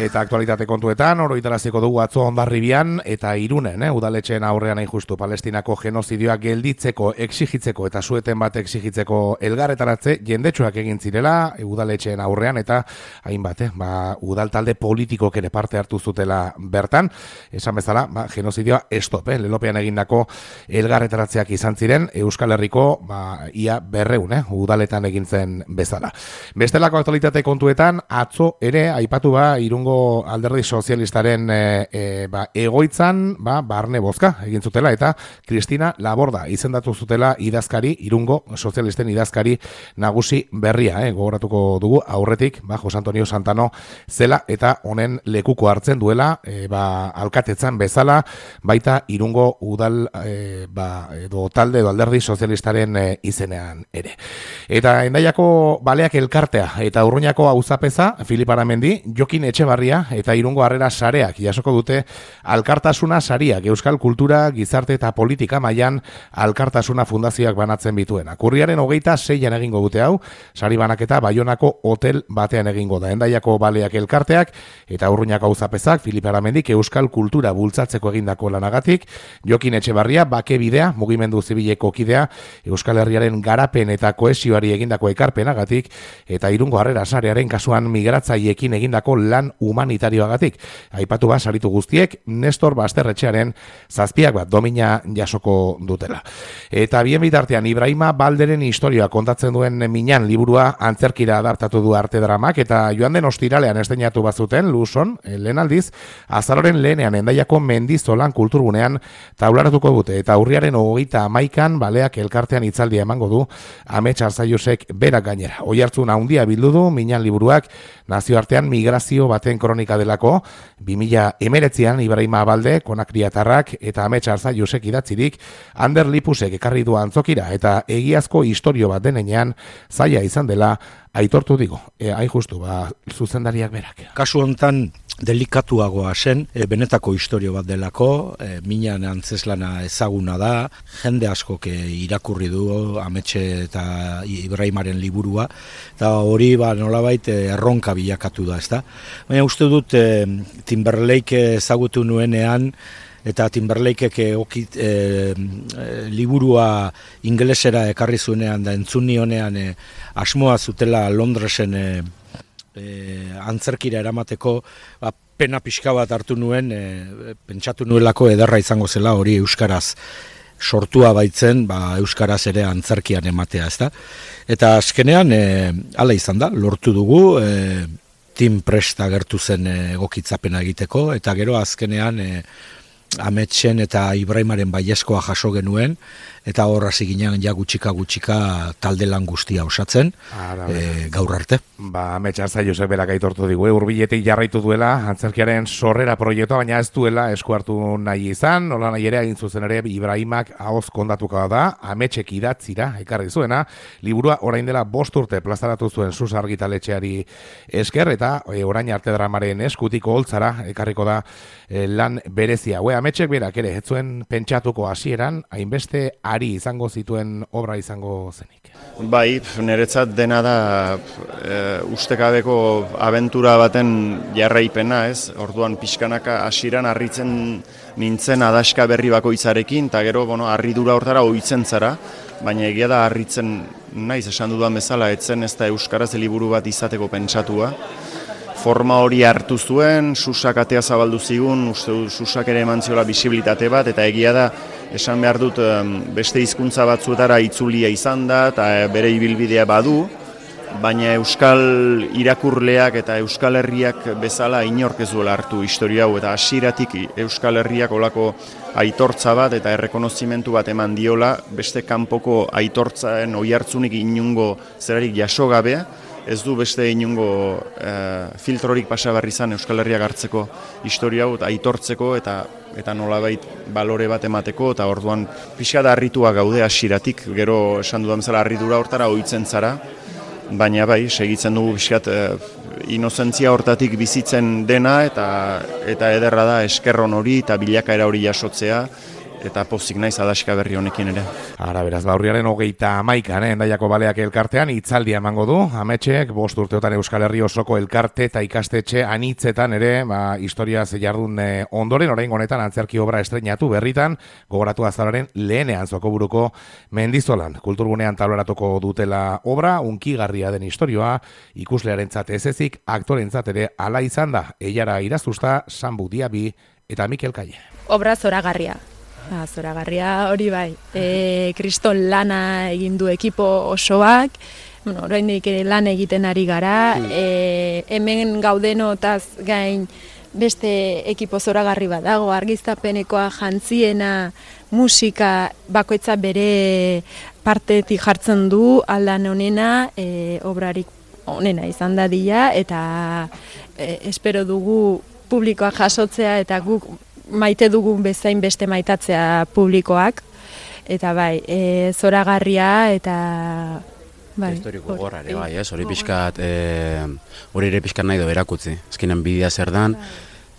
Eta aktualitate kontuetan, oroitaraziko dugu atzo Hondarribian eta Irunen, udaletxeen aurrean hain justu Palestinako genozidioa gelditzeko, exigitzeko eta sueten bat exigitzeko elgarretaratze jendetsuak egin zirela udaletxeen aurrean eta hainbat, udal talde politikok ere parte hartu zutela bertan. Esan bezala, genozidioa stop, lelopean egindako elgarretaratzeak izan ziren Euskal Herriko ia 200 udaletan egin zen bezala. Bestelako aktualitate kontuetan, atzo ere aipatu Irungo alderdi sozialistaren egoitzan barne bozka egin zutela eta Cristina Laborda izendatu zutela idazkari, Irungo sozialisten idazkari nagusi berria, gogoratuko dugu aurretik, Jose Antonio Santano zela eta honen lekuko hartzen duela alkatetzan bezala, baita Irungo udal edo talde edo alderdi sozialistaren izenean ere. Eta Hendaiako baleak elkartea eta Urruñako auzapeza Filip Aramendi, Jokin Etxebarria eta Irungo Harrera sareak jasoko dute Alkartasuna sariak Euskal Kultura, Gizarte eta Politika mailan Alkartasuna fundazioak banatzen bituena. Urriaren 26an egingo dute hau, sari banaketa Baionako hotel batean egingo da. Hendaiako baleak elkarteak eta Urruñako auzapezak Filip Aramendik Euskal Kultura bultzatzeko egindako lanagatik, Jokin Etxebarria bake bidea, mugimendu zibileko kidea, Euskal Herriaren garapen eta kohesioari egindako ekarpenagatik eta Irungo Harrera sarearen kasuan migratzaileekin egindako lan humanitarioagatik. Aipatu saritu guztiek Nestor Basterretxearen 7 domina jasoko dutela. Eta bien bitartean Ibrahima Balderen historia kontatzen duen Minan liburua antzerkira adaptatu du Arte Dramak eta joan den ostiralean estreinatu bazuten Luson, lehen aldiz, azaroren lehenean Hendaiako Mendizolan kulturgunean taularatuko dute eta urriaren 31an baleak elkartean hitzaldia emango du Amets Arzaiusek berak gainera. Oihartzun handia bildu du Minan liburuak nazioartean migrazio baten kronika delako, 2019an Ibrahima Balde, Konakriatarrak eta Amets Arzaiusek idatzirik, Ander Lipusek ekarri du antzokira eta egiazko istorio bat denean zaila izan dela aitortu digo. Hain justu, zuzendariak berak. Kasu hontan delikatuagoa zen, benetako istorio bat delako, Minan antzeslana ezaguna da, jende askok irakurri du Ametxe eta Ibrahimaren liburua, eta hori nolabait erronka bilakatu da, ezta? Baina uste dut Timberlake ezagutu nuenean, eta Timberlakeek liburua ingelesera ekarri zuenean da entzun nionean asmoa zutela Londresen antzerkira eramateko, pena pixka bat hartu nuen, pentsatu nuelako ederra izango zela hori euskaraz sortua baitzen, euskaraz ere antzerkian ematea, ezta? Eta azkenean hala izan da, lortu dugu, Tim prest agertu zen egokitzapena egiteko, eta gero azkenean Ametsen eta Ibrahimaren baiezkoa jaso genuen, eta hor hasi ginen gutxika talde lan guztia osatzen, gaur arte. Amets Arzaiusek berak aitortu digu, hurbiletik jarraitu duela antzerkiaren sorrera proiektua, baina ez duela esku hartu nahi izan, nola nahi ere egin zuzen ere Ibrahimak ahoz kondatuka da, Ametsek idatzira ekarri zuena, liburua orain dela 5 urte plazaratu zuen Sus argitaletxeari esker, eta orain Arte Dramaren eskutik holtzara ekarriko da lan berezia. Ametsek berak ere, ez zuen pentsatuko hasieran, hainbeste ari izango zituen obra izango zenik. Bai, niretzat dena da ustekabeko abentura baten jarraipena, ez? Orduan pixkanaka hasieran harritzen nintzen adaska berri bakoitzarekin, eta gero, harridura hortara ohitzen zara, baina egia da harritzen naiz esan dudan bezala, etzen ez da euskaraz liburu bat izateko pentsatua. Forma hori hartu zuen, Susak atea zabaldu zigun, uste Susak ere eman ziola bisibilitate bat, eta egia da, esan behar dut beste hizkuntza batzuetara itzulia izan da, eta bere ibilbidea badu, baina euskal irakurleak eta euskal herriak bezala inork ez duela hartu historia hau, eta hasieratik euskal herriak olako aitortza bat eta errekonozimentu bat eman diola, beste kanpoko aitortzaen oihartzunik inungo zerarik jaso gabe, ez du beste inungo filtrorik pasabarri izan Euskal Herriak hartzeko historia hau, aitortzeko eta nolabait balore bat emateko, eta orduan pixka da harritua gaude hasieratik, gero esan dudan bezala harridura hortara ohitzen zara, baina bai, segitzen dugu pixkat inozentzia hortatik bizitzen dena, eta ederra da eskerron hori eta bilakaera hori jasotzea, eta pozik naiz adaxka berri honekin ere. Ara, beraz, urriaren 31, Hendaiako Baleak elkartean hitzaldia emango du. Ametxek 5 urteotan Euskal Herri osoko elkarte eta ikastetxe anitzetan ere, historiaz jardun ondoren, oraingo honetan antzerki obra estreinatu berritan, gogoratu azararen lehenean Zokoburuko Mendizolan. Kulturgunean tabloratuko dutela obra, unkigarria den istorioa, ikuslearentzat ez ezik, aktorentzat ere ala izan da. Eiara Irazusta, Sambu Diabi eta Mikel Kaie. Obra zoragarria. Zoragarria hori bai. Kriston lana egin du ekipo osoak, oraindik lan egiten ari gara, hemen gaudenotaz gain beste ekipo zoragarri bat dago, argiztapenekoa, jantziena, musika, bakoitza bere partetik jartzen du, aldan honena, obrarik honena izan dadila, eta espero dugu publikoa jasotzea, eta guk maite dugun bezain beste maitatzea publikoak, eta bai, zoragarria, eta bai. Historiko gorrare, bai, hori pixkat, hori ere pixkat nahi do erakutzi. Azkenean bidea zer dan,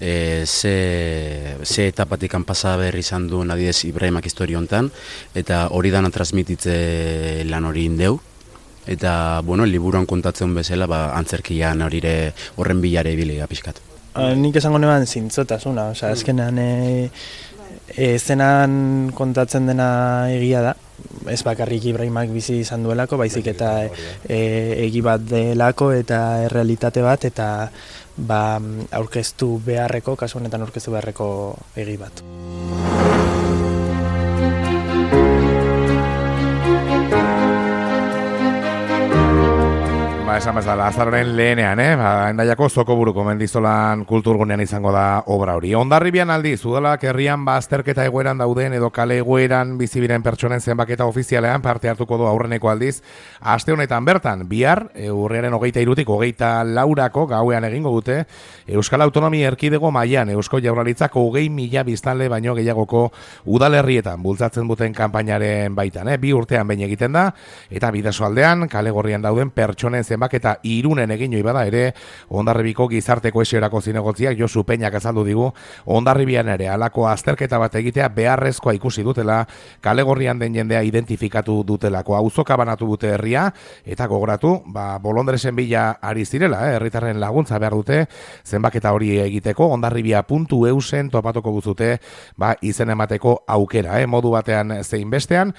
ze etapatik pasa berri izan duen adidez Ibrahimak historio hontan, eta hori dana transmititze lan hori indeu. Eta, liburuan kontatzen bezala, antzerkian horren bilare ibilega pixkat. Nik esango neban zintzotasuna, azkenean zenan kontatzen dena egia da, ez bakarrik Ibrahimak bizi izan duelako, baizik eta egi bat delako eta errealitate bat, eta aurkeztu beharreko, kasu honetan aurkeztu beharreko egi bat. Esan bezala, azaroren lehenean, Hendaiako Zokoburuko Mendizolan kulturgunean izango da obra hori. Hondarribian aldiz, udalak herrian azterketa egoeran dauden edo kale egoeran bizibiren pertsonen zenbaketa ofizialean parte hartuko du aurreneko aldiz. Aste honetan bertan, bihar, urriaren 23-tik 24 gauean egingo dute, Euskal Autonomia Erkidego mailan Eusko Jaurlaritzak 20.000 biztanle baino gehiagoko udalerrietan bultzatzen duten kanpainaren baitan. 2 urtean behin egiten da, eta Bidasoaldean, kale gorrian dauden pertsonen zenbaketa Irunen egin bada ere, Hondarribiko gizarte kohesiorako zinegotziak Josu Peñak azaldu digu, Hondarribian ere halako azterketa bat egitea beharrezkoa ikusi dutela, kale gorrian den jendea identifikatu dutelako, auzoka banatu dute herria, eta gogoratu, bolondresen bila ari zirela, herritarren laguntza behar dute, zenbaketa hori egiteko, hondarribia.eusen topatuko guzute, izen emateko aukera, modu batean zein bestean,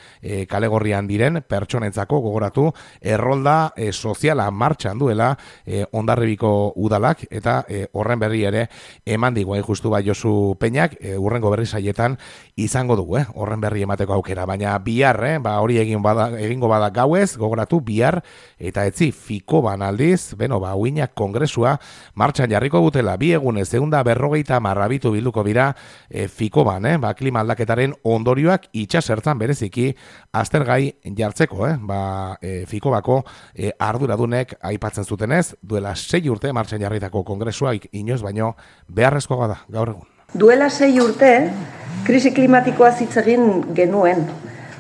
kale gorrian diren pertsonentzako gogoratu, errolda soziala martxan duela Hondarribiko udalak, eta horren berri ere eman digu justu Josu Peñak, urrengo berri saietan izango dugu, horren berri emateko aukera, baina bihar, hori egingo bada gauez, gogoratu bihar, eta etzi Fikoban aldiz, uinak kongresua martxan jarriko dutela, 2 egunez 150 marrabitu bilduko dira Fikoban, klima aldaketaren ondorioak itxasertzan bereziki aztergai jartzeko, Fikobako arduradunek aipatzen zutenez, duela 6 urte martxan jarritako kongresuak inoiz baino beharrezkoa da gaur egun. Duela 6 urte, krisi klimatikoa hitz egin genuen,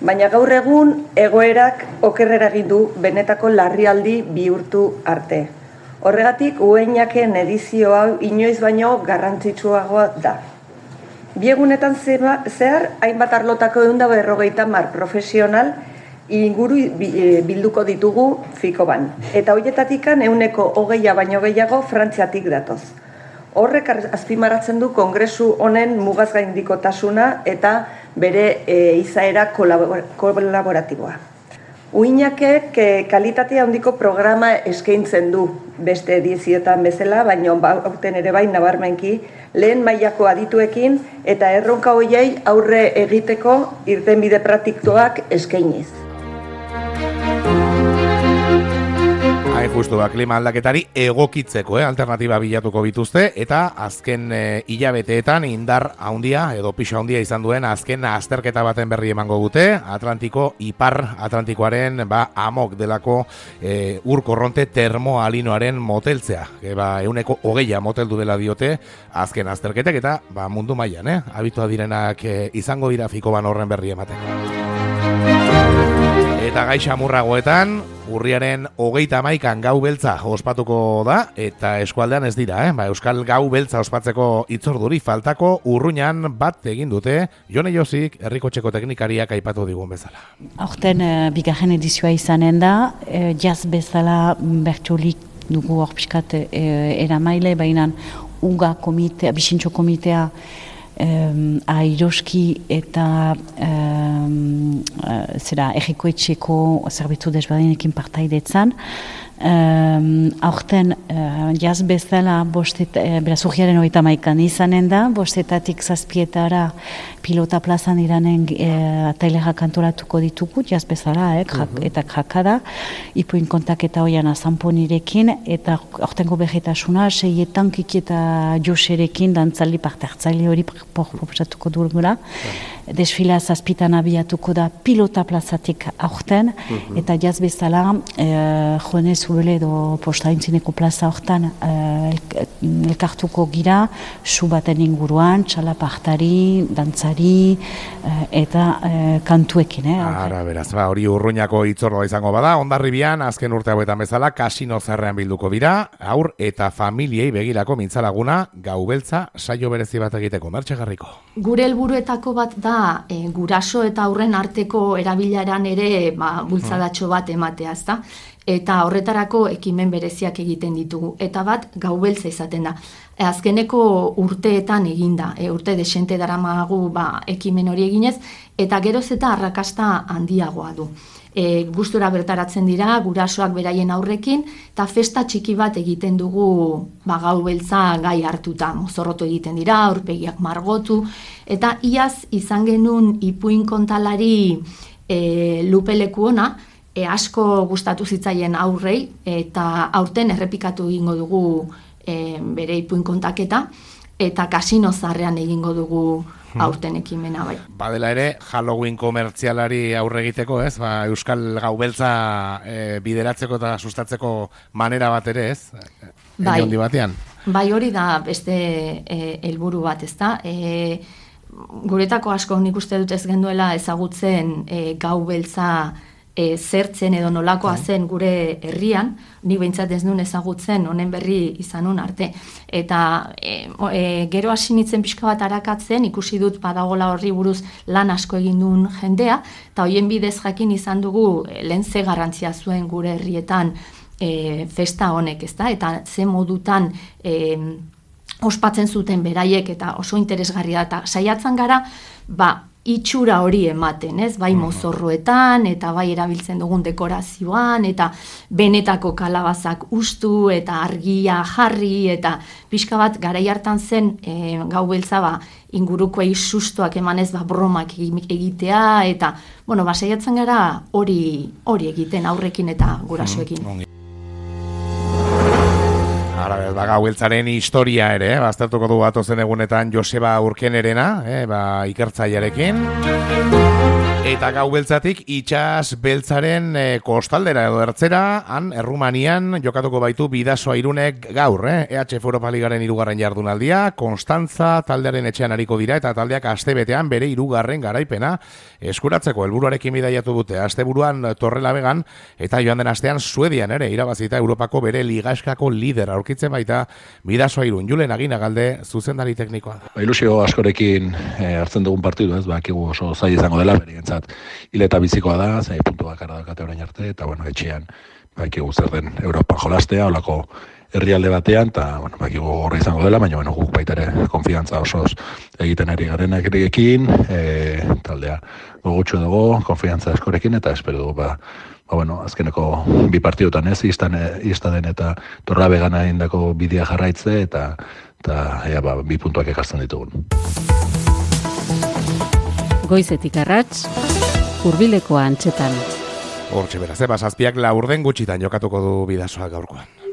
baina gaur egun egoerak okerrera egin du benetako larrialdi bihurtu arte. Horregatik, ueinaken edizio hau inoiz baino garrantzitsuagoa da. 2 egunetan zehar, hainbat arlotako 150 profesional inguru bilduko ditugu Fikoban. Eta horietatikan 20% baino gehiago Frantziatik datoz. Horrek azpimarratzen du kongresu honen mugazgaindikotasuna eta bere izaera kolaboratiboa. Uinakek kalitatea handiko programa eskaintzen du beste edizioetan bezala, baina aurten ere bai nabarmenki lehen mailako adituekin eta erronka horiei aurre egiteko irtenbide praktikoak eskainiz. Justu klima aldaketari egokitzeko alternatiba bilatuko bituzte, eta azken hilabeteetan indar handia edo pixa handia izan duen azken azterketa baten berri emango dute, Ipar Atlantikoaren amok delako ur korronte termoalinoaren moteltzea. 20% moteldu dela diote azken azterketek, eta mundu mailan, abitua direnak izango dira Fikoban horren berri emateko. Eta gai xamurragoetan, Urriaren 31an gau beltza ospatuko da, eta eskualdean ez dira, Euskal Gau Beltza ospatzeko itzorduri faltako Urruñan bat egin dute, Jone Josik herrikotxeko teknikariak aipatu digun bezala. Aurten bigarren edizioa izanen da, jaz bezala bertsolik dugu hor pixkat eramaile, baina UGA komitea, Bixintxo komitea, Airoski eta errikoetxeko zerbitzu desberdinekin partaidetzan. Aurten jaz bezala beraz urriaren 31an izanen da, 5:00 7:00 pilota plazan iranen atailerak antolatuko ditugu, jaz bezala, eta jakada, ipuin kontaketa hoian azanponirekin, eta aurtengo berretasuna, 6etan Kiki eta Joserekin dantzaldi parte hartzaile hori proposatuko dugula. Desfila 7:00 abiatuko da pilota plazatik aurten, eta jaz bezala Jone Zubele edo postaintzineko plaza hortan elkartuko gira, su baten inguruan, txalapartari, dantzari eta kantuekin. Ara, beraz, hori Urruñako itzordoa izango bada, Hondarribian azken urte hauetan bezala kasino zarrean bilduko dira, haur eta familiei begirako mintzalaguna Gau Beltza saio berezi bat egiteko. Mertxe Garriko. Gure helburuetako bat da guraso eta aurren arteko erabilaran ere bultzadatxo bat ematea, ezta? Eta horretarako ekimen bereziak egiten ditugu. Eta bat Gau Beltza izaten da. Azkeneko urteetan eginda, urte desente daramagu ekimen hori eginez, eta geroz eta arrakasta handiagoa du. Gustura bertaratzen dira, gurasoak beraien aurrekin, eta festa txiki bat egiten dugu Gau Beltza gai hartuta. Mozorrotu egiten dira, aurpegiak margotu, eta iaz izan genuen ipuin kontalari Lupeleku ona, asko gustatu zitzaien aurrei, eta aurten errepikatu egingo dugu bere ipuin kontaketa, eta kasino zarrean egingo dugu aurten ekimena bai. Badela ere, Halloween komertzialari aurre egiteko, ez? Euskal Gau Beltza bideratzeko eta sustatzeko manera bat ere, ez? Bai, handi batean. Bai, hori da beste helburu bat, ez da? Guretako asko nik uste dut ez genduela ezagutzen Gau Beltza zertzen edo nolakoa zen gure herrian, nik behintzat ez nuen ezagutzen honen berri izanun arte. Eta gero hasi nintzen pixka bat arakatzen, ikusi dut badagola horri buruz lan asko egin duen jendea, eta hoien bidez jakin izan dugu lehen ze garrantzia zuen gure herrietan festa honek, ezta? Eta ze modutan ospatzen zuten beraiek eta oso interesgarria da. Eta saiatzen gara, itxura hori ematen, ez? Bai mozorroetan, eta bai erabiltzen dugun dekorazioan, eta benetako kalabazak ustu, eta argia jarri, eta pixka bat garai hartan zen Gau Beltza ingurukoei sustoak emanez bromak egitea, eta saiatzen gara hori egiten aurrekin eta gurasoekin. Gau Beltzaren historia ere, baztertuko du atozen egunetan Joseba Urkenerena, ikertzailearekin. Eta Gau Beltzatik itsas beltzaren kostaldera edo ertzera, han Errumanian jokatuko baitu Bidasoa Irunek gaur, EHF Europa Ligaren 3. jardunaldia, Konstantza taldearen etxean ariko dira, eta taldeak astebetean bere 3. garaipena eskuratzeko helburuarekin bidaiatu dute. Asteburuan Torrelabegan eta joan den astean Suedian ere irabazita Europako bere ligaskako lider aurkitzen baita Bidasoa Irun. Julen Aginagalde zuzendari teknikoa. Ilusio askorekin hartzen dugun partidu, ez? Bakigu oso zaila izango dela berientzat. Hileta bizikoa da, 6 puntu bakarra daukate orain arte, eta etxean bakigu zer den Europan jolastea, holako herrialde batean, eta bakigu horre izango dela, baina guk baita ere konfiantza osoz egiten ari garenarekin, taldea gogotxu dugu, konfiantza askorekin, eta espero dugu azkeneko 2 partidutan ez, iztaden eta Torrelabegana egindako bidea jarraitze, eta 2 puntuak ekartzen ditugun. Goizetik arrats, hurbileko antzetan. Hortxe beraz, 7:00 gutxitan jokatuko du Bidasoa gaurkoan.